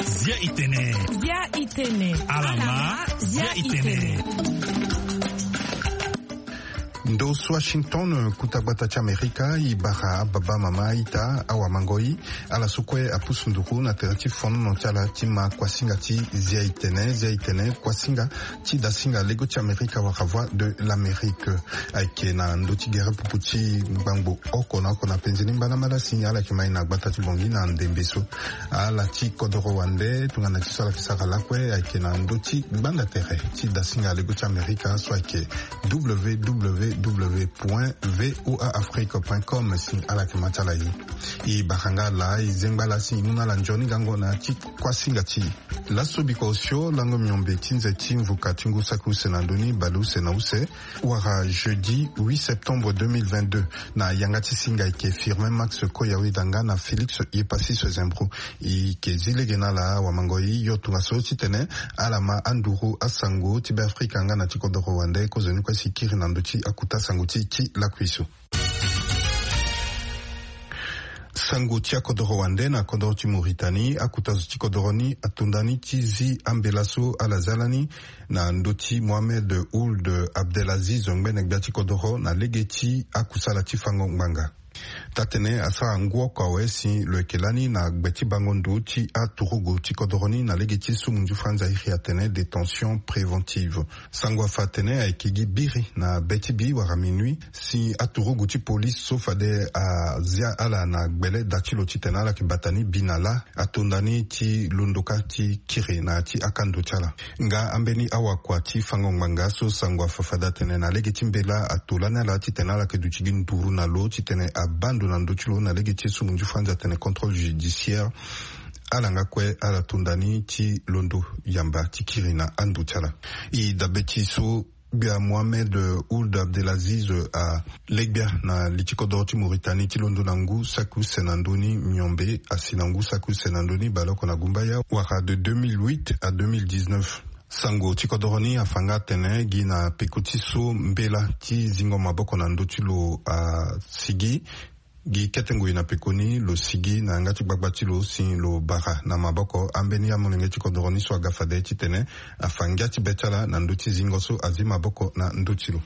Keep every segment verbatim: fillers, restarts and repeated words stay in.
Zia itene. Zia itene. Alama. Zia itene. Ndo so Washington, kuta gbata ti Amerika, e bara ababa, mama, aita, awamangoi, ala so kue apusu nduru na tere ti fonono ti ala ti ma kuasinga ti Zia itene. Zia itene, kuasinga ti dasinga lego ti Amerika wala Voix de l'Amérique. Ayeke na ndö ti gere pupu ti ngbangbo oko na oko na penze ni mbalambala si ala yeke mai na gbata ti Bangui na ndembe so. Ala ti kodoro wande, tongana ti so ala yeke sara lakue, ayeke na ndö ti gbanda tere ti dasinga lego ti Amerika so ayeke w w w point v o a afrique point com, si ala yeke ma ti ala ye. E bara nga ala, e zengba ala si e mu na ala nzoni gango na ya ti kuasinga ti e. Laso biko osio lango miombe ti nze ti mvuka ti ngu saki use na ndö ni, bale use na use, wala jeudi huit septembre deux mille vingt-deux, na yanga ti singa ayeke Firmin Max Koyawe Danga na Félix Yepassis Zembro. E yeke zi lege na ala, awamangoi, yo tongaso titene ala ma anduru asango ti Beafrika nga na ti kodoro wande, kozoni kue si e kiri na ndö ti akuta sango ti e ti lakui so. Sango ti akodoro wande na kodoro ti Mauritanie, akuta zo ti kodoro ni ato ndani ti zi ambela so ala za lani na ndö ti Mohamed Ould Abdelaziz, ngbene gbia ti kodoro, na lege ti akusala ti fango ngbanga. Taa-tene asara ngu oko awe si lo yeke lani na gbe ti bango ndo ti aturugu ti kodoro ni na lege ti sumu nzu franza iri atene détention préventive. Sango afa atene ayeke gi biri na be ti bi wala minuit si aturugu ti polise so fade azia ala na gbele da ti lo titene ala yeke bata ni bi na lâ, ato ndani ti londo kâ ti kiri na ya ti akando ti ala. Nga ambeni awakua ti fango ngbanga so sango afa fade atene na lege ti mbela ato lani ala titene ala yeke duti gi nduru na lo titene abaa ndo na ndö ti lo na lege ti sumu nzu franza atene contrôle judiciaire. Ala nga kue ala to ndani ti londo yamba ti kiri na ando ti ala. E dabe ti so gbia Mohamed Ould Abdelaziz ale gbia na li ti kodoro ti Mauritanie ti londo na ngu saki use na ndö ni miombe asi na ngu saki use na ndö ni baleoko na gumbaya wala de deux mille huit à deux mille dix-neuf. Sango ti kodoro ni afa nga atene gi na peko ti so mbela ti zingo maboko na ndö ti lo asigi, gi kete ngoi na peko ni lo sigi na yanga ti gbagba ti lo si lo bara na maboko ambeni amolenge ti kodoro ni so aga fade titene afa ngia ti be ti ala na ndö ti zingo so azi maboko na ndö ti lo.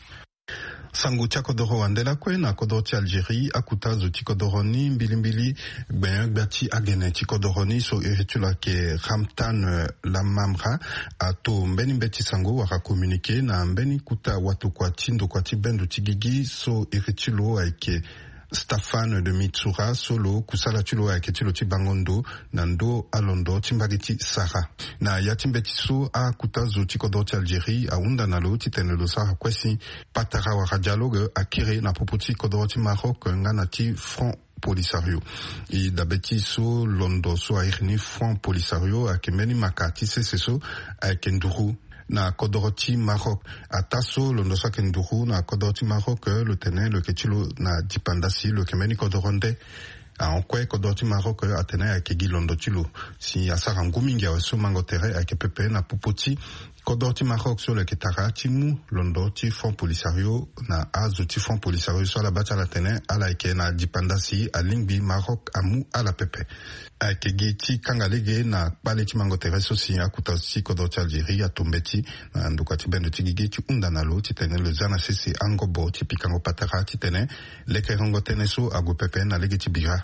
Sango ti akodoro wande lakue na kodoro ti Algérie, akuta zo ti kodoro ni mbilimbili gbenyo-gbia ti agene ti kodoro ni so iri ti lo ayeke Ramtan Lamamra ato mbeni mbeti sango wala communiqué na mbeni kuta watokua ti ndokua ti bendo ti gigi so iri ti lo ayeke Staffan de Mistura so lo kusala ti lo ayeke ti lo ti bango ndo na ndö alondo ti mbage ti Sahara. Na ya ti mbeti so akuta zo ti kodoro ti Algérie ahunda na lo titene lo sara kue si patara wala dialogue akiri na popo ti kodoro ti Maroc nga na ti Front Polisario. E dabe ti so londo so airi ni Front Polisario ayeke mbeni maka ti sese so ayeke nduru na kodoro ti Maroc. Ataa so londo so ayeke nduru na kodoro ti Maroc, lo tene lo yeke ti lo na dipanda si lo yeke mbeni kodoro nde. Ahon kue kodoro ti Maroc atene ayeke gi londo ti lo si asara ngu mingi awe so mango tere ayeke pepe na popo ti kodoro ti Maroc so lo yeke tara ti mu londo ti Front Polisario na azo ti Front Polisario so ala baa ti ala tene ala yeke na dipanda si alingbi Maroc amu ala pepe. Ayeke gi ti kanga lege na kpale ti mango tere so si akuta ti kodoro ti Algérie ato mbeti na ndokua ti bendo ti gigi ti hunda na lo titene lo za na sese angobo ti pikango patara titene lekerengo tënë so ague pepe na lege ti bira.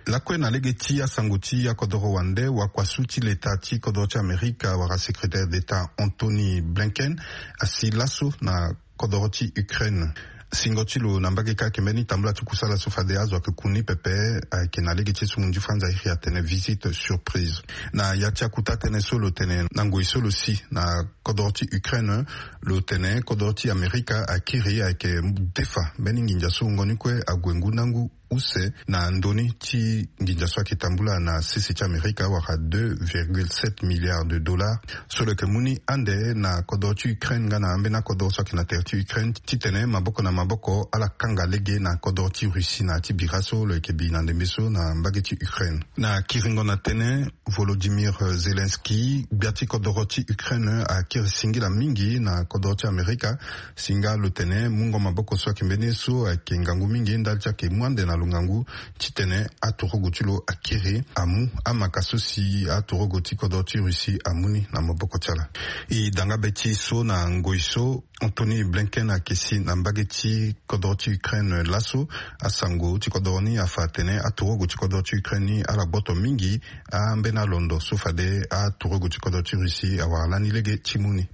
Lakue na lege ti asango ti akodoro wande, wakuasu ti leta ti kodoro ti Amerika wala secrétaire d'État Anthony Blinken asi laso na kodoro ti Ukraine. Singo ti lo na mbage kâ ayeke mbeni tambula ti kusala so fade azo ayeke ku ni pepe, ayeke na lege ti sungu nzi franza iri atene visite surprise. Na ya ti akuta tënë so lo tene na ngoi so lo si na kodoro ti Ukraine, lo tene kodoro ti Amerika akiri ayeke defa mbeni nginza so wungo ni kue ague ngu na ngu use na ndoni ti nginza so ayeke tambula na sese ti Amerika wala deux virgule sept milliards de dollars so lo yeke mu ni ande na kodoro ti Ukraine nga na ambeni akodoro so ayeke na tere ti Ukraine titene maboko na maboko ala kanga lege na kodoro ti Russie na ya ti bira so lo yeke bi na ndembe so na mbage ti Ukraine. Na kiringo na tënë, Volodymyr Zelensky, gbia ti kodoro ti Ukraine, akiri singila mingi na kodoro ti Amerika si nga lo tene mungo maboko so ayeke mbeni ye so ayeke ngangu mingi ndali ti ayeke mu ande na lo. ngangu titene aturugu ti lo akiri amu amaka so si aturugu ti kodro ti Russie amu ni na maboko ti ala. E danga be ti so na ngoi so, Anthony Blinken ayeke si na mbage ti kodro ti Ukraine laso. Asango ti kodro ni afa atene aturugu ti kodro ti Ukraine ni ala gboto mingi ambeni alondo so fade aturugu ti kodro ti Russie awara lani lege ti mu ni.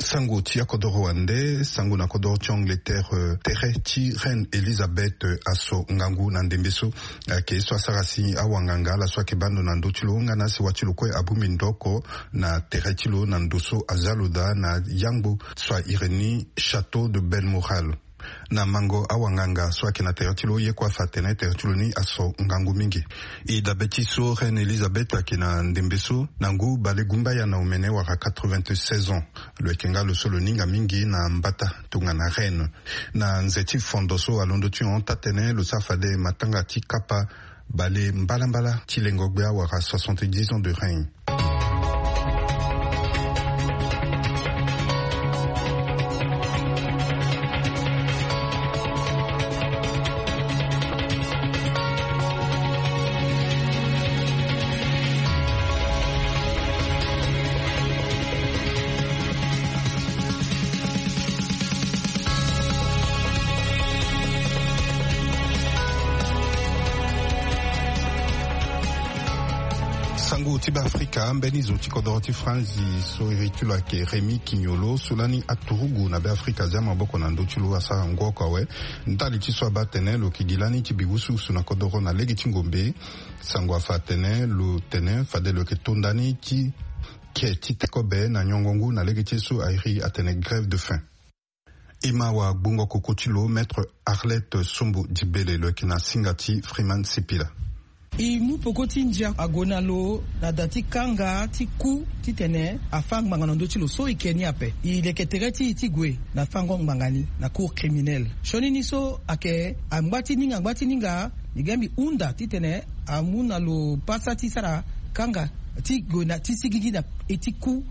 Sango ti akodoro wande, sango na kodoro ti Angleterre, eh, tere ti Reine Elizabeth, eh, aso ngangu na ndembe so. Ayeke ye so asara si awanganga ala so ayeke baa ndo na ndö ti lo nga na sewa ti lo kue abongbi ndo oko na tere ti lo na ndo so aza lo daa na yangbo so ahiri ni Château de Balmoral. Na mango awanganga so ayeke na tere ti lo, ye kue afa atene tere ti lo ni aso ngangu mingi. E dabe ti so Reine Elizabeth ayeke na ndembe so na ngu bale gumbaya na omene wala quatre-vingt-seize ans. Lo yeke nga lo so lo ninga mingi na mbata tongana reine. Na nze ti fondo so alondo ti hon taa tënë, lo sara fade matanga ti kapa bale mbalambala ti lengo gbia wala soixante-dix ans de règne. Sango ti Beafrika, mbeni zo ti kodoro ti Franzi so iri ti lo ayeke Rémy Quignolo, so lani aturugu na Beafrika azia maboko na ndö ti lo, asara ngu oko awe. Ndali ti so abaa atene lo yeke gi lani ti bi wusuwusu na kodoro na lege ti ngombe. Sango afa atene lo tene fade lo yeke to ndani ti ke ti te kobe na nyongo ngu na lege ti ye so airi atene grève de faim. E ma wagbongo koko ti lo, Maître Arlette Sombo Dibele, lo yeke na singa ti Freeman Sipila. E mu peko ti ndia ague na lo na da ti kanga ti ku titene afâ ngbanga na ndö ti lo so e ke ni ape. E leke tere ti e ti gue na fângo ngbanga ni na cour criminelle. Sioni ni so ayeke angba ti ninga, angba ti ninga, mbi ga mbi hunda titene amu na lo pasa ti sara kanga ti gue na ti sigigi na e ti ku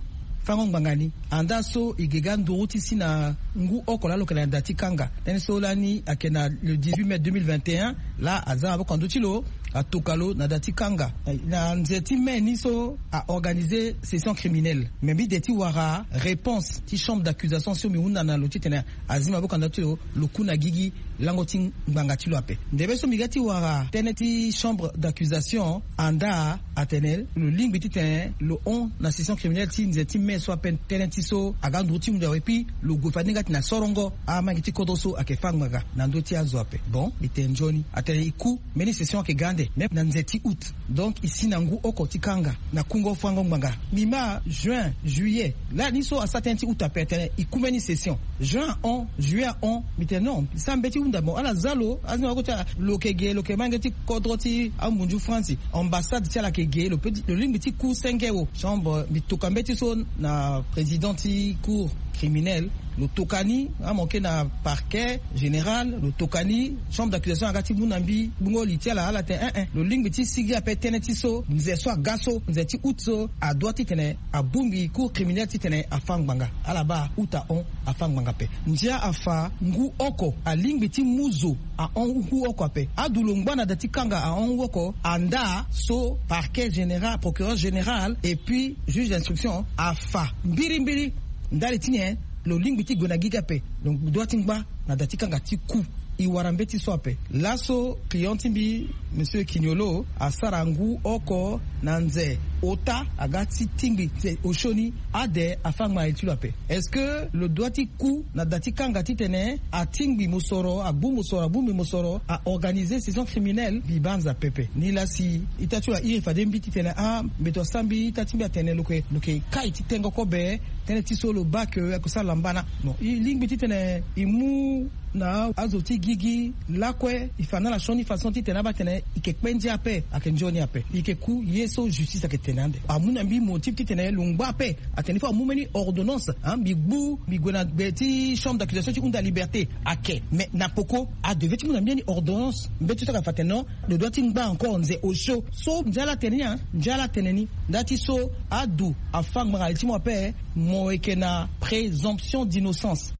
fângo ngbanga ni. Andaa so e ge ga nduru ti si na ngu oko laa lo yeke na da ti kanga. Tënë so lani ayeke na le dix-huit mai deux mille vingt et un, laa aza na maboko na ndö ti lo, atoka lo na da ti kanga. Na nze ti mai ni so a organiser session criminelle. Me mbi de ti wara réponse ti chambre d'accusation so mbi hunda na lo titene azi maboko na ndö ti lo, lo ku na gigi lango ti ngbanga ti lo ape. Ndembe so mbi ga ti wara tënë ti chambre d'accusation, andaa atene lo lingbi titene lo hon na session criminelle ti nze ti mai so ape tënë ti so aga nduru ti mu ndia awe, puis lo gue fade ni nga ti na sorongo amangi ti kodro so ayeke fâ ngbanga na ndö ti azo ape. Bon, mbi tene nzoni, atene e ku mbeni session ayeke ga ande, même na nze ti août. Donc e si na ngu oko ti kanga na kungo fângo ngbanga. Mbi ma juin, juillet, lani so asara tënë ti août ape atene e ku mbeni session. Juin ahon, juillet ahon, mbi tene non, mbi sara mbeti hunda mo, ala za lo, azi na oko ti ala, lo yeke ge, lo yeke mange ti kodro ti amunzu France, ambassade ti ala yeke ge, lo peut ti, lo lingbi ti ku senge wo. Chambre, mbi toka mbeti so na président ti cour criminelle, lo toka ni, amanke na parquet général, lo toka ni, chambre d'accusation aga ti mu na mbi gbungo li ti ala, ala tene eh eh, lo lingbi ti sigi ape tënë ti so, nze so aga so, nze ti août so, adoit titene abongbi cour criminelle titene afâ ngbanga. Ala baa août ahon, afâ ngbanga ape. Ndia afa ngu oko, alingbi ti mu zo ahon ngu oko ape. Adu lo ngba na da ti kanga ahon ngu oko, andaa so parquet général, procureur général et puis juge d'instruction afa mbirimbiri ndali ti nyen lo lingbi ti gue na gigi ape. Donc doit ti ngba na da ti kanga ti ku. E wara mbeti so ape. Laso client ti mbi, monsieur Quignolo, asara ngu oko na nze ota aga ti tingbi nze osio ni, ade afâ ngbanga li ti lo ape. Est-ce que lo doit ti ku na da ti kanga titene atingbi mosoro, agbu mosoro, abongbi mosoro, a organiser session criminelle? Mbi banza pepe. Nilaa si ita ti lo airi fade mbi titene ah, mbeto asara mbi, ita ti mbi atene lo yeke, lo yeke kai ti tengo kobe, tënë ti so lo baa ke ayeke sara lambana. Non, e lingbi titene e mu na azo ti gigi lakue, e fa na ala sioni façon titene abaa tene e yeke kpe ndia ape, ayeke nzoni ape. E yeke ku ye so justice ayeke tene ande. Amu na mbi motif titene lo ngba ape, atene il faut amu mbeni ordonnance, hein, mbi gbu, mbi gue na gbe ti chambre d'accusation ti hunda liberté. Ayeke, mais na peko adevait ti mu na mbi ni ordonnance. Mbeti so ayeke fa atene non, lo doit ti ngba encore nze osio. So ndia ala tene ni, hein, ndia ala tene ni. Nda ti so adu afâ ngbanga li ti mo ape, mo yeke na présomption d'innocence.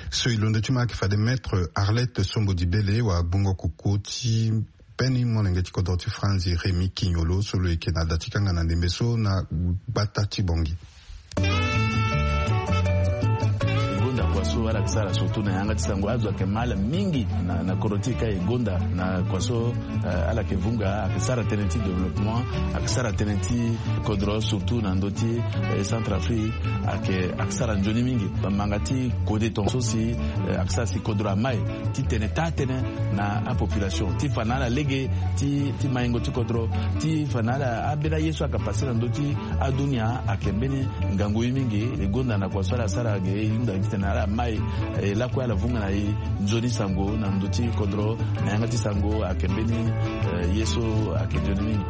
So e londo ti ma ayeke fade Maître Arlette Sombo Dibele wa gbongo koko ti peni molenge ti kodro ti Franzi Rémy Quignolo so lo yeke na da ti kanga na ndembe so na gbata ti Bongi. E gonda kua so ala yeke sara surtout na yanga ti sango azo ayeke ma ala mingi na, na kodro ti e ka e gonda na kua so, eh, ala yeke vunga ayeke sara tënë ti développement, ayeke sara tënë ti kodro surtout na ndö ti, eh, Centrafrique, ayeke, ayeke sara nzoni mingi. Manga ti kode tongaso si, eh, ayeke sara si kodro amai ti tene taa tënë na apopulation ti fa na ala lege ti, ti maingo ti kodro, ti fa na ala ambeni aye so ayeke pase na ndö ti adunia ayeke mbeni ngangu ye mingi. E gonda na kua so ala sara ge e hunda titene ala mai, eh, lakue ala vunga na e nzoni sango na ndö ti kodro na yanga ti sango ayeke mbeni, eh, ye so ayeke nzoni mingi.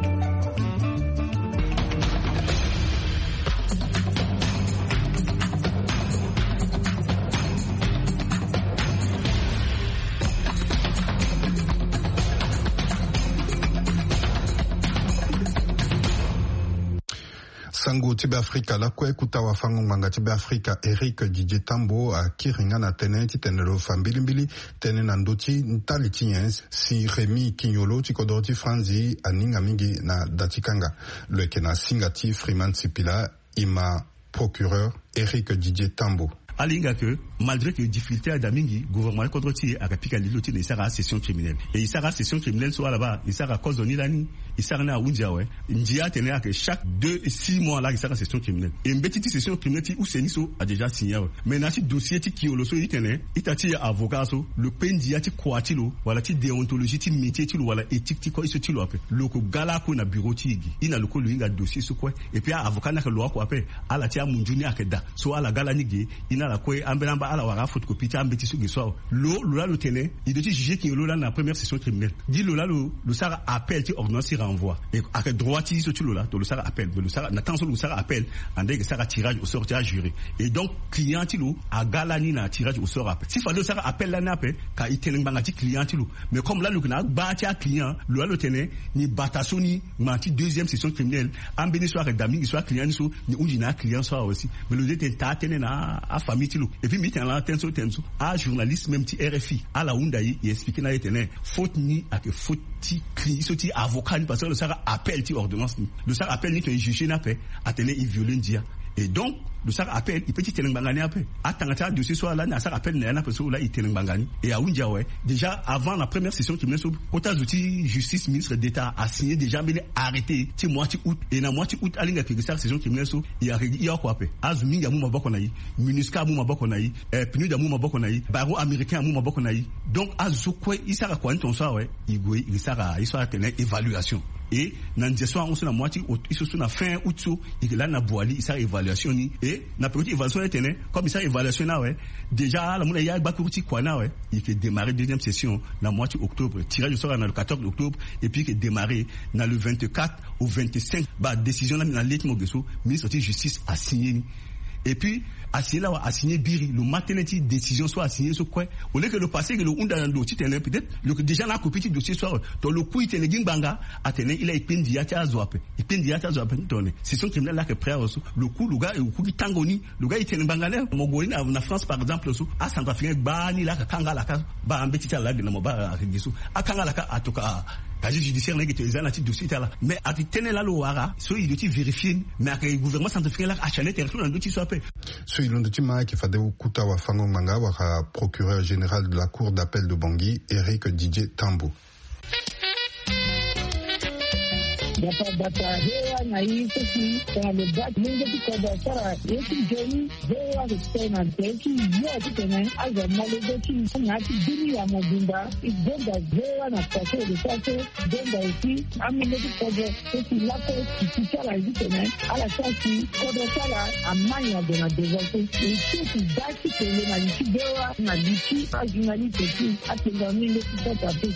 Sango ti Beafrika lakue, kuta wafango ngbanga ti Beafrika Éric Didier Tambo akiri nga na tënë titene lo fa mbilimbili tënë na ndö ti ndali ti nyen si Rémy Quignolo ti kodro ti Franzi aninga mingi na da ti kanga. Lo yeke na singa ti Freeman Sipila, e ma procureur Éric Didier Tambo. Ala hinga que malgré que difficulté ada mingi, gouvernement ti kodro ti e ayeke pika lilo ti tene e sara asession criminelle. E e sara asession criminelle so ala baa e sara kozo ni lani, e sara ni ahunzi awe. Ndia atene ayeke chaque deux six mois laa e sara session criminelle. E mbeti ti session criminelle ti use ni so a déjà signé awe. Mais na ya ti dossier ti Quignolo so e tene ita ti e avocat so, lo kpe ndia ti kua ti lo wala ti déontologie ti métier ti lo wala éthique ti kue so ti lo ape, lo yeke ga lakue na bureau ti e gi. E na lo kue lo hinga dossier so kue. Et puis a-avocat ni ayeke lo oko ape. Ala ti amunzu ni ayeke daa. So ala ga lani ge, e na ala kue ambeni amba ala wara aphotocopie ti ambeti so ge so awe. Lo, lo laa lo tene e doit ti juger Quignolo lani na première session criminelle. Gi lo laa lo, lo sara appel ti ordonnance ti renvoi. E ayeke droit ti e so ti lo laa, donc lo sara appel. Mais lo sara na temps so lo sara appel, ande e yeke sara tirage au sort ti ajuré. Et donc client ti lo aga lani na tirage au sort ape. Si fade lo sara appel lani ape, ka e tene ngbanga ti client ti lo. Mais comme laa lo yeke na agba ti aclient, lo laa lo tene ni bata so ni ngbanga ti deuxième session criminelle, ambeni so ayeke daa mingi so aclient ni so ni hunzi na aclient so awe aussi. Mais lo de tene taa tënë na afamille ti lo. Et puis mbi tene laa tënë so tene so ajournaliste même ti R F I ala hunda e, e expliqué na e tene faute ni ayeke faute ti cli so ti avocat ni, parce que lo sara appel ti ordonnance ni. Lo sara appel ni tene e juger ni ape, atene e viole ndia. Et donc lo sara appel, e peut ti tene ngbanga ni ape. Atanga ti adossier so ala ni asara appel na ya ni ape so laa e tene ngbanga ni. E ahunzi awe. Déjà avant na première session criminelle so, kota zo ti justice, ministre d'état asigné déjà mbeni arrêté ti mois ti août. E na mois ti août ala hinga ke e sara session criminelle so, e ayeke e oko ape. Azo mingi amu maboko na e. MINUSCA amu maboko na e. Eh, PNUD amu maboko na e. Barreau américain amu maboko na e. Donc azo kue e sara kua ni tongaso awe, e gue e sara ye so atene évaluation. E na nze so ahon so na mois ti août, e so so na fin août so, e yeke lani na Boali e sara évaluation ni. E na peko ti évaluation ni tene, comme e sara évaluation ni awe, déjà ala mu na e agbakuru ti kua ni awe. E yeke démarrer deuxième session na mois ti octobre. Tirage au sort na le quatorze octobre. Et puis e yeke démarrer na le vingt-quatre au vingt-cinq. Baa décision lani na le ti mo ge so, ministre ti justice asigné ni. Et puis asigné laa awa asigné biri, lo ma tënë ti décision so asigné so kue. Au lieu que lo passé ke lo hunda na lo titene peut-être lo yeke déjà na akopie ti dossier so awe. Donc lo ku e tene gi ngbanga, atene e laa e kpe ndia ti azo ape. E kpe ndia ti azo ape ni tongana session criminelle laa ayeke prêt awe so. Lo ku lo ga e ku gi tango ni, lo ga e tene ngbanga ni. Mo gue ni na, na France par exemple so, acentrafricain gbaa ni laa aka kanga ala ka, baa ambeti ti ala laa ge na mo baa ayeke ge so, akanga ala ka, atoka casier judiciaire na e ge tene e za na ya ti dossier ti ala. Mais ayeke tënë laa lo wara so e doit ti vérifier ni. Mais ayeke gouvernement centrafricain laa achane tere so na ndö ti so ape. So e londo ti ma ayeke fade kuta wafango ngbanga wala procureur général de la cour d'appel de Bangui, Éric Didier Tambo. Bata bata hewa na i so si tongana lo baa mungo ti kodro asara ye ti nzoni. Hewa lo tene na nze ti yo titene azo amolenge ti na ya ti bini ya mobimba. E gonda hewa na kua so lo sara so. Gonda aussi amungo ti kodro so si lakue titi ti ala ye titene ala sara si kodro ti ala amai na gue na devant so. E so si baa ti tene na li ti hewa na li ti ajournaliste ti atenga mungo ti kota pe.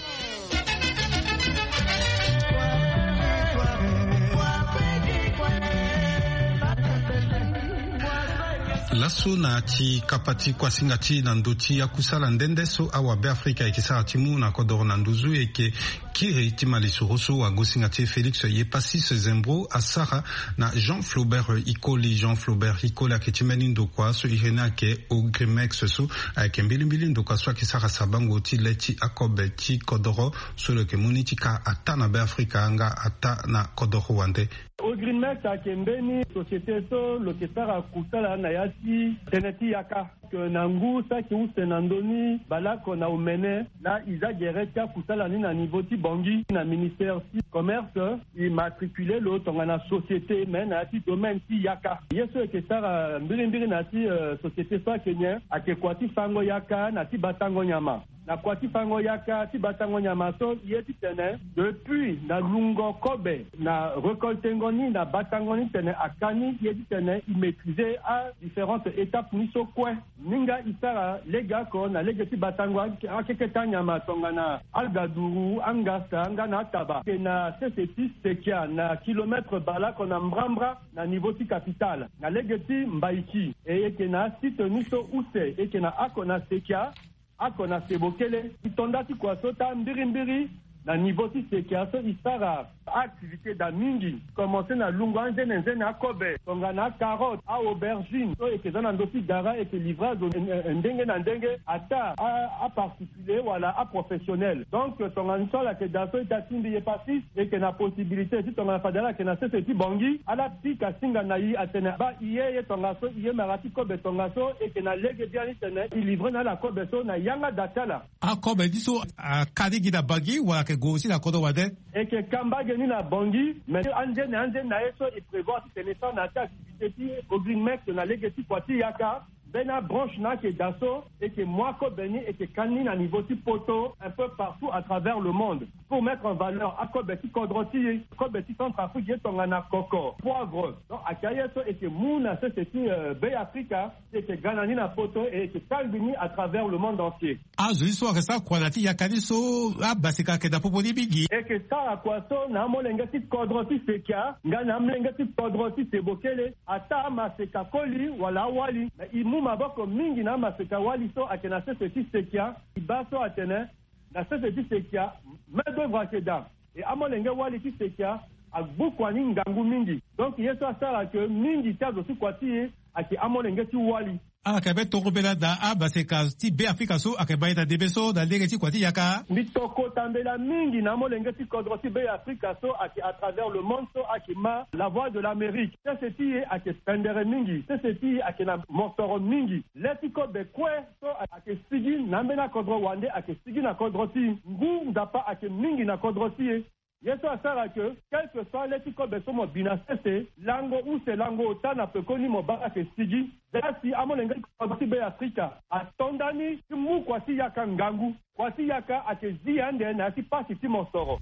Laso na ti kapa ti kuasinga ti na ndö ti akusala nde nde so awabe afrika ayeke sara ti mu na kodoro na nduzu ayeke Kiri ti malisoro so wagosinga ti e Félix Yepasis Zembro asara na Jean Flaubert Ikoli. Jean Flaubert Ikoli ayeke ti mbeni ndokua so iri ni ayeke Ogrimex so ayeke mbilimbili ndokua so ayeke sara sabango ti le ti akobe ti kodoro so lo yeke mu ni ti ka ataa na Beafrika nga ataa na kodoro wande. Ogrimex ayeke mbeni société so lo yeke sara kusala na ya ti tënë ti yaka. Ke na ngu saki use na ndö ni baleoko na omene laa e za gere ti akusala ni na niveau ti Bangui na ministère ti commerce. E matricule lo tongana société me na ya ti domaine ti yaka. Ye so e yeke sara mbirimbiri na ya ti société so ayeke nyen? Ayeke kua ti fango yaka na ti batango nyama. Na kua ti fango yaka ti batango nyama so e ye titene depuis na lungo kobe na recoltengo ni na batango ni titene aka ni e ye titene e maîtrise adifférentes étapes ni so kue. Ni nga e sara legeoko na lege ti batango akeke ti anyama tongana agaduru, angasa nga na ataba. E yeke na sese ti sekia na kilomètre baleoko na mbrambra na niveau ti capitale na lege ti mbaiki. E yeke na asite ni so use e yeke na oko na sekia, oko na sebokele. E to nda ti kua so taa mbirimbiri na niveau ti sekia so e sara aactivité daa mingi. Commence na lungo anzene nzene akobe tongana acarotte, aaubergine so e yeke za na ndö ti gara e yeke livre azo ndenge na ndenge ataa aparticulier wala aprofessionnel. Donc tongana so ala yeke daa so ita ti mbi Yepasis e yeke na possibilité ti tongana fade ala yeke na sese ti Bangui ala pika singa na e atene baa e ye ye tongaso e ye mara ti kobe tongaso e yeke na lege biani titene e livre na ala kobe so na yanga daa ti ala. Akobe ni so aka ni gi na Bangui wala ayeke gue aussi na kodro wande? E yeke ka mbage ni na Bangui mais anzene anzene na ye so e prévoir titene e sara na ya ti activité ti Ogrimex na lege ti kua ti yaka. Mbeni abranche na ayeke daa so e yeke mu akobe ni e yeke ka ni na niveau ti poto un peu partout à travers le monde pour mettre en valeur akobe ti kodro ti e, kobe ti Centrafrique ye tongana koko, poivre. Donc ayeke aye so e yeke mu na sese ti Beafrika. E yeke ga na ni na poto e yeke kangbi ni à travers le monde entier. Azo ni so ayeke sara kua na ya ti yaka ni so abaseka ayeke na popo ni mingi. E yeke sara kua so na amolenge ti kodro ti sekia nga na amolenge ti kodro ti sebokele. Ataa amaseka koli wala awali. Me e mu maboko mingi na amaseka wali so ayeke na sese ti sekia. E baa so atene na sese ti sekia main d'œuvre ayeke daa. E amolenge wali ti sekia agbu kua ni ngangu mingi. Donc ye so asara ke mingi ti azo ti kua ti e ayeke amolenge ti wali. Ala yeke mbeni tongobela na amaseka ti Beafrika so ayeke ma e na ndembe so na lege ti kua ti yaka. Mbi tokota mbela mingi na amolenge ti kodro ti Beafrika so ayeke à travers le monde so ayeke ma La Voix de l'Amérique. Sese ti e ayeke pendere mingi. Sese ti e ayeke na mosoro mingi. Le ti kobe kue so ayeke sigi na ambeni akodro wande ayeke sigi na kodro ti e. Ngu Nzapa ayeke mingi na kodro ti e. Ye so asara ke quelque soit le ti kobe so mo bi na sese lango use lango ota na pekoni mo baa ayeke sigi. Zia si amolenge ti kodro ti Beafrika ato nda ni ti mu kua ti yaka ngangu. Kua ti yaka ayeke zi ande na ya ti pasi ti mosoro.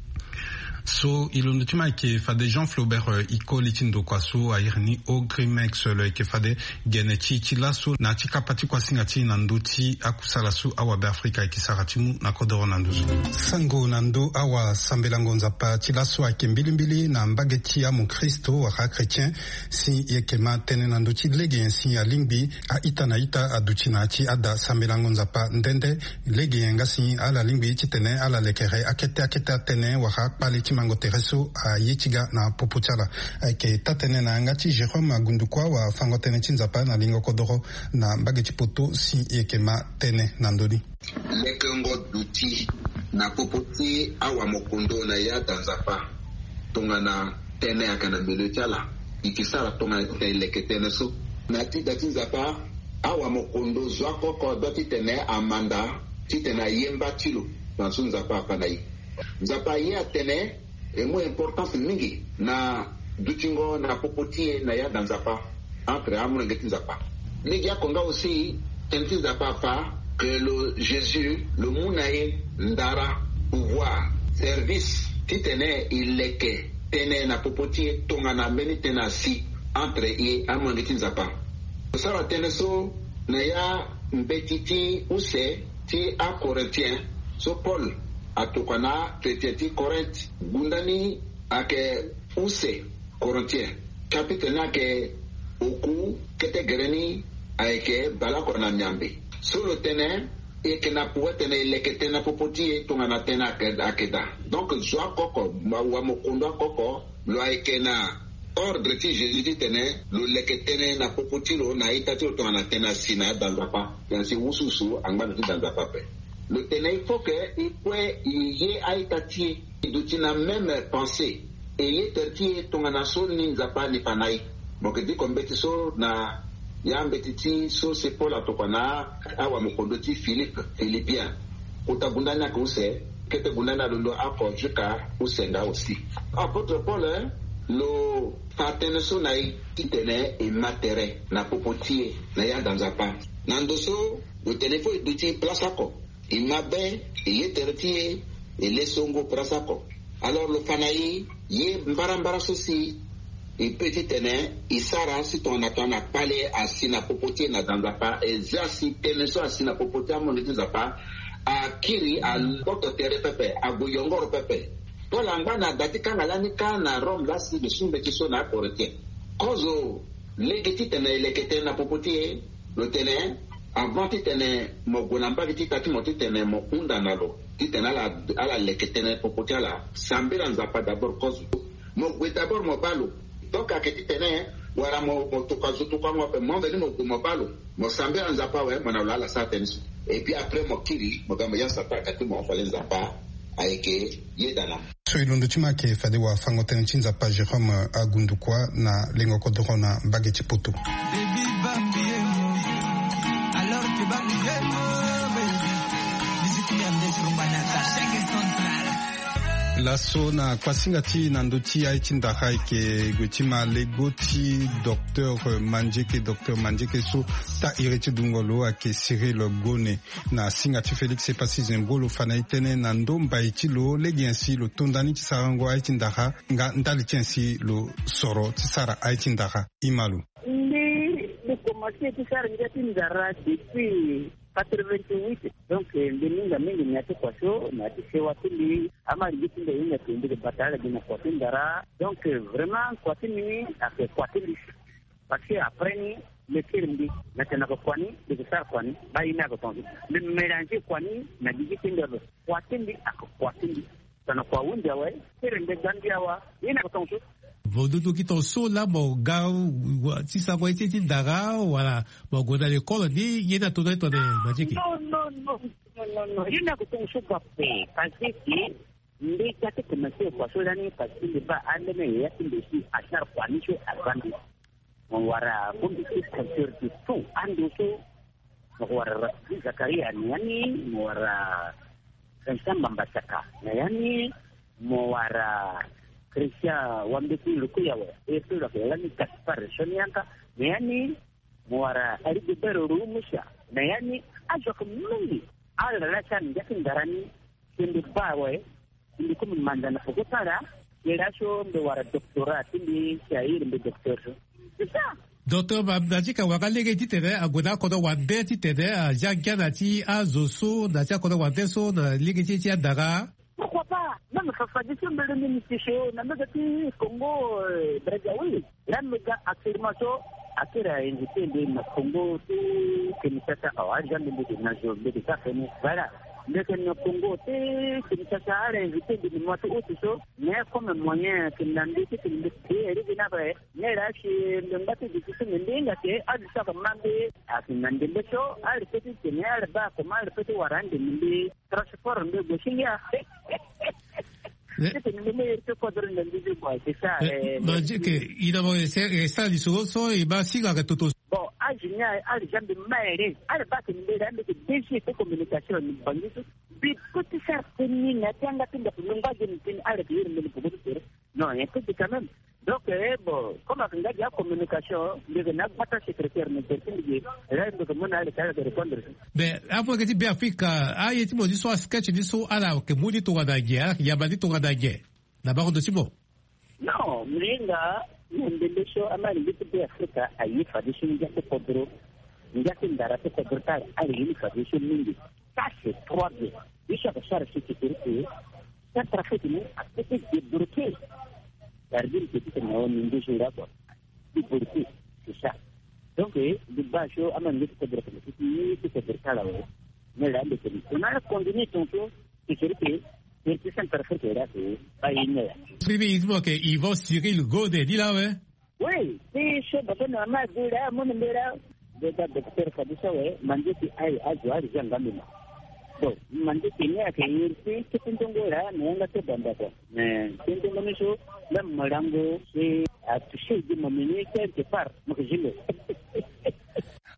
So e londo ti ma ayeke fade Jean Flaubert Ikoli ti ndokua so a iri ni Ogrimex lo yeke fade gene ti e ti laso na ya ti kapa ti kuasinga ti e na ndö ti akusala so awabeafrika ayeke sara ti mu na kodoro na ndo so. Sango na ndo awasambelango Nzapa ti laso ayeke mbilimbili na mbage ti amokristo wala achrétien. Si e yeke ma tënë na ndö ti lege nyen si alingbi a-ita na ita aduti na ya ti ada sambelango Nzapa nde nde. Lege nyen nga si ala lingbi titene ala lekere akete akete atënë wala akpale ti mango tere so aye ti ga na popo ti ala. Ayeke taa-tënë na yanga ti Jérôme Agundukua wafango-tënë ti Nzapa na lingo kodoro na mbage ti poto si e yeke ma tënë na ndö ni. Lekengo duti na popo ti awamokondo na ya da Nzapa. Tongana tënë ayeke na mbele ti ala, e ke sara tongana titene e leke tënë so. Na ya ti da ti Nzapa, awamokondo zo akoko adua titene amanda titene aye mba ti lo. Na so Nzapa afa na e. Nzapa aye atene e mu importance mingi na dutingo na popo ti e na ya da Nzapa. Entre amolenge ti Nzapa. Lege oko nga aussi tënë ti Nzapa afa ke lo Jésus lo mu na e ndara, pouvoir, service titene e leke tënë na popo ti e tongana mbeni tënë asi entre e amolenge ti Nzapa. Lo sara tënë so na ya mbeti ti use ti aCorinthiens so Paul atokua na achrétien ti Corinthe. Gunda ni ayeke use Corinthiens chapitre ni ayeke oku, kete gere ni ayeke baleoko na miambe. So lo tene E yeke na pouvoir titene e leke tënë na popo ti e tongana tënë ayeke daa. Donc zo akoko, wamokondo akoko, lo ayeke na ordre ti Jésus titene lo leke tënë na popo ti lo na a-ita ti lo tongana tënë asi na ada Nzapa. Tënë asi wusuwusu angba na ti da Nzapa ape. Lo tene il faut que e kue e ye a-ita ti e, e duti na même pensée. E ye tere ti e tongana so ni Nzapa ani fa na e. Mo yeke diko mbeti so na ya mbeti ti so se Paul atokua na awamokondo ti Philippe, Philippien. Kota gunda ni ayeke use, kete gunda ni alondo oko jusqu'à use nga aussi. Apôtre Paul, eh, lo fa tënë so na e titene e ma tere na popo ti e na ya da Nzapa. Na ndo so lo tene fo e duti place oko. E ma be, e ye tere ti e, e le songo place oko. Alors lo fa na e ye mbarambara so si e pe titene e sara si tongana tongana kpale asi na popo ti e na da Nzapa, e zia si tënë so asi na popo ti amondo ti Nzapa akiri, agboto tere pepe, ague yongoro pepe. Paul angba na da ti kanga lani kâ na Rome laa si lo su mbeti so na aKorinthien. Kozo lege titene e leke tënë na popo ti e, lo tene, avant titene mo gue na mbage ti ita ti mo titene mo hunda na lo titene ala, ala leke tënë popo ti ala, sambela Nzapa d'abord kozo. Mo gue d'abord mo baa lo. Donc ayeke titene wala mo, mo tokua zo tokuango ape, mo veni mo gue mo baa lo, mo sambela Nzapa awe, mo na lo ala sara tënë so. Et puis après mo kiri, mo ga mo ya Satan ayeke ti mo, fade Nzapa ayeke yeda na mo. So e londo ti mo ayeke fade wafango-tënë ti Nzapa Jérôme Agundukua na lengo kodoro na mbage ti Poto. Laso na kuasinga ti na ndö ti aye ti ndara ayeke gue ti ma lego ti docteur Mandieke, docteur Mandieke so taa iri ti dungo lo ayeke Cyril Gone. Na singa ti Félix Epassi Zembro lo fa na e tënë na ndo mbai ti lo lege nyen si lo to nda ni ti sarango aye ti ndara nga ndali ti nyen si lo soro ti sara aye ti ndara. E ma lo. Mbi, mbi komanse ti sara ngia ti ndara depuis quatre-vingt-huit. Donc mbi minga mingi na ya ti kua so na ya ti sewa ti mbi. Ama lege ti mbi ahinga ti mbi yeke bata ala gi na kua ti ndara. Donc vraiment kua ti mbi ni ayeke kua ti mbi. Parce que après ni, mbi kiri mbi na tene na yeke kua ni, mbi yeke sara kua ni, baa ye ni ayeke tongaso. Mbi mélanger kua ni na gigi ti mbi ape. Kua ti mbi ayeke kua ti mbi. Tongana kua ahunzi awe, kiri mbi ga mbi awa, ye ni ayeke tongaso. Vo dudu gi tongaso laa mo ga wa, ti sarango ye ti, ti ndara, wala mo gue na lekole ni, ye ni ato na ye tongana Mandieke? Non, non, non, non, non, non. Ye ni ayeke tongaso kua ape. Parce que mbi ga ti komanse kua so lani, parce que mbi baa ambeni yaya ti mbi si asara kua ni so aza mbi. Mo wara bongbi ti pasteur ti tout ando so. Mo wara Rabbi Zakaria na ya ni, mo wara Vincent Mbamba Saka na ya ni, mo wara Christian Wambeti Lukuyawe, e so lo yeke lani Gaspard Sonianka na ya ni, mo wara Rigobert Rumusa na ya ni. Azo ayeke mingi. Ala laa ti ala ngia ti ndara ni. Si mbi baa awe, si mbi komi manda na peko ti ala, ye laso mbi wara doctorat ti mbi, si a iri mbi docteur so. C'est ça. Docteur Mandieke, wara lege titene ague na akodro wande titene azia ngia na ya ti azo so, na ya ti akodro wande so, na lege ti, ti andara? Pourquoi pas? Même fafa ti so mbele ni mbi ti so na mbage ti Congo, euh, Brazzaville. Laa mbi ga actuellement so, akiri a invité mbi na Congo ti Kinshasa awa, ari ga mbi, mbi yeke na zo, mbi yeke ga feni. Voilà. Mbi yeke na Congo ti Kinshasa, ari invité mbi na mois ti août so. Mais comme moyen ayeke na mbi titene mbi créer lege ni ape, mais laa si mbi ngba ti duti so mbi, mbi hinga ke azo so ayeke ma mbi ayeke na ndembe so, ari peut ti tene, ari baa comment, ari peut ti wara ande na mbi. Transport mbi gue ti ngia. Eh, titene mbi me iri ti kodro na mbi ti kua, c'est ça. Eh, eh, Mandieke, e na mo e sara lisoro so e baa singa ayeke toto. Bon, azo ni aye, ari ja mbi ma ere, ari baa tene mbi ere, mbi yeke D G ti communication na Bangui so. Mbi peut ti sara tënë ni na ya ti yanga ti ndaku, mbi ngba ge na tënë, ari yeke iri mbi na poko ti tere. Non, un peu quand même. Donc, eh, bon, comme ayeke nga gi acommunication, mbi yeke na agbata secrétaire, mais tere ti mbi ge, là mbi yeke mu na ala ti ala yeke répondre. Mais amu ayeke ti Beafrika, aye ti mo ni so, asketch ni so, ala yeke mu ni tongana nyen, ala yeke yamba ni tongana nyen na bango ndo ti mo? Non, mbi hinga na ndembe so, amalenge ti Beafrika aye fade so ngia ti kodro, ngia ti ndara ti kodro ti ala, ala ye ni fade so mingi. Ça c'est trois bien. Ye so ayeke sara so ti tere ti e, ça trafic ni apeut ti débloquer. Cest à dire que ti tene na wa ni nduzu nga kua. Ti débloquer, c'est ça. Donc, eh, mbi baa so amalenge ti kodro ti, ti kodro ti ala awe. Mera ande koni kona kondini tonto. Sekeri ke, sekeri ke Centrafrique era ke ba ye ni ya. Bibi, il faut que Yvon Cyril Gode di la we. Oui, ti so baba na mama ague la, amoni mbela. Beta docteur Fadusa we, mandieke aye azo ari ja nga mema. Bon, mandieke ni ayeke iri ti kete nzongo la na yanga ti banda kua. Mais ti nzongo ni so, même molango si atouché di momeni quelque part, mo ke zingo.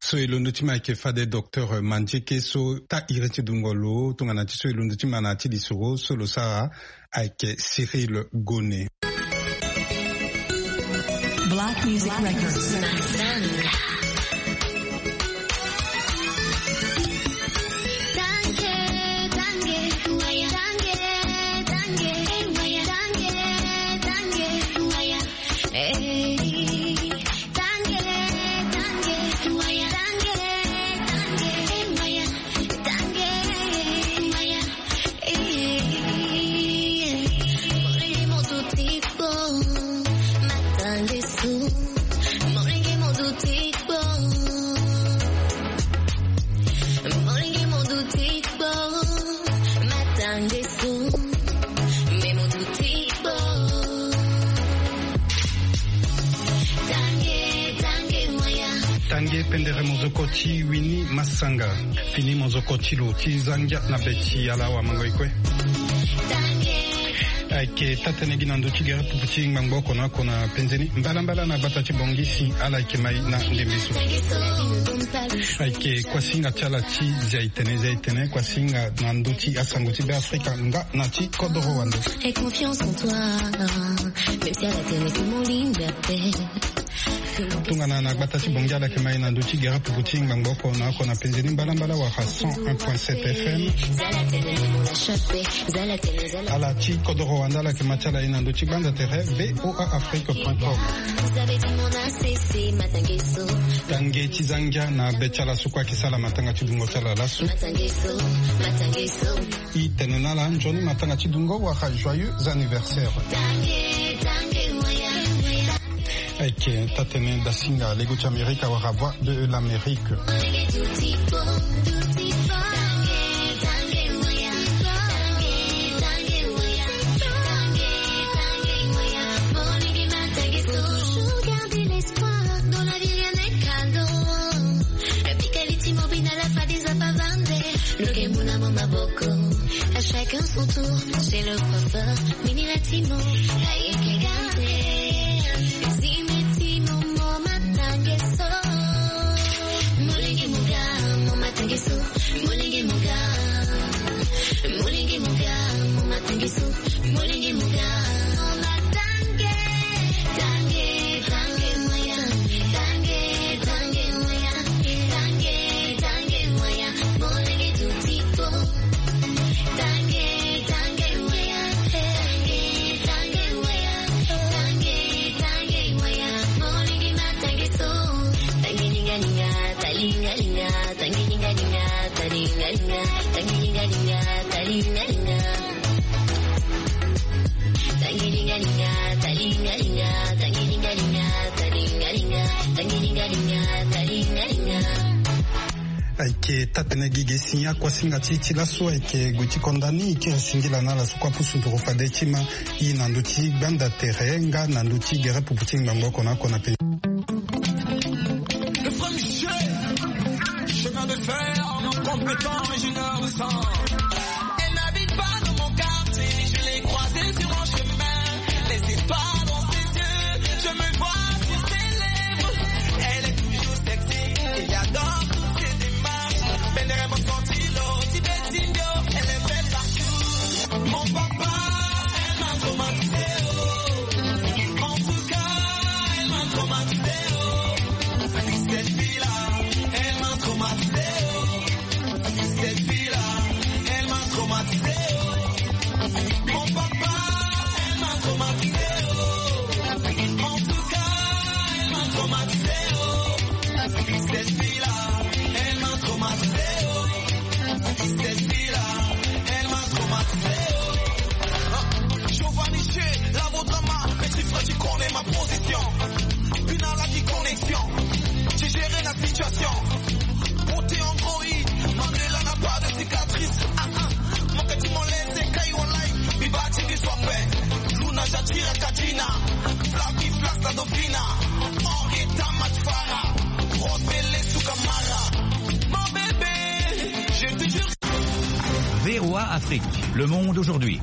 So e londo ti ma ayeke fade docteur Mandieke so ta iri ti dungo lo, tongana ti so e londo ti ma na ya ti lisoro so lo sara ayeke Cyril Gone. Black Music Records. Tange pendere mozoko ti Winnie Massanga. Fini mozoko ti lo ti za ngia na be ti ala awamango e kue. Ayeke taa-tënë gi na ndö ti gere pupu ti ngbangbo oko na oko na penze ni. Mbalambala na gbata ti Bongisi, ala yeke mai na ndembe so. Ayeke kuasinga ti ala ti zia itene, zia itene, kuasinga na ndö ti asango ti Beafrika nga na ti kodoro wande. Tongana na gbata ti Bongi, ala yeke mai na ndö ti gere pupu ti ngbangbo oko na oko na penze ni, mbalambala wala cent un point sept F M. Ala ti kodoro wande, ala yeke ma ti ala ye na ndö ti gbanda tere V O A Afrique point com. Tange ti za ngia na be ti ala so kue ayeke sara matanga ti dungo ti ala laso. E tene na ala nzoni matanga ti dungo wala joyeux anniversaire. Ayeke taa-tënë dasinga lego ti Amerika wala Voix de l'Amérique. Lo ke mu na mo maboko. À chacun son tour, chez le coiffeur, mini la timo. Aye ke gare, zime timo, mo matange so. Molenge mo ga, mo matange so. Molenge mo ga, molenge mo ga, mo matange so. Molenge mo ga, mo matange. Tange, tange, moya. Tange, tange, moya. Tange, tange, moya. Ayeke taa-tënë gi ge si akuasinga ti e ti laso ayeke gue ti konda ni, e kiri singila na ala so kue apusu nduru fade ti ma e na ndö ti gbanda tere nga na ndö ti gere pupu ti ngbangbo oko na oko na pe. Le premier chemin de fer, compétent, ingénieur de sang. Elle n'habite pas dans mon quartier, je l'ai croisée sur mon chemin. Les étoiles dans ses yeux, je me vois sur ses lèvres. Elle est toujours sexy, et j'adore toutes ses démarches. Pendere mo sentilo, ti betindio, elle est belle partout. Mon papa, elle m'a traumatisé, oh. En tout cas, elle m'a traumatisé, oh. Cette fille-là, elle m'a traumatisé, oh. Cette fille-là, elle m'a traumatisé, oh. Mon papa, elle m'a traumatisé, oh. En tout cas, elle m'a traumatisé, oh. Cette fille-là, elle m'a traumatisé, oh. Cette fille-là, elle m'a traumatisé, oh. Giovanni Che, la Afrique, le monde aujourd'hui.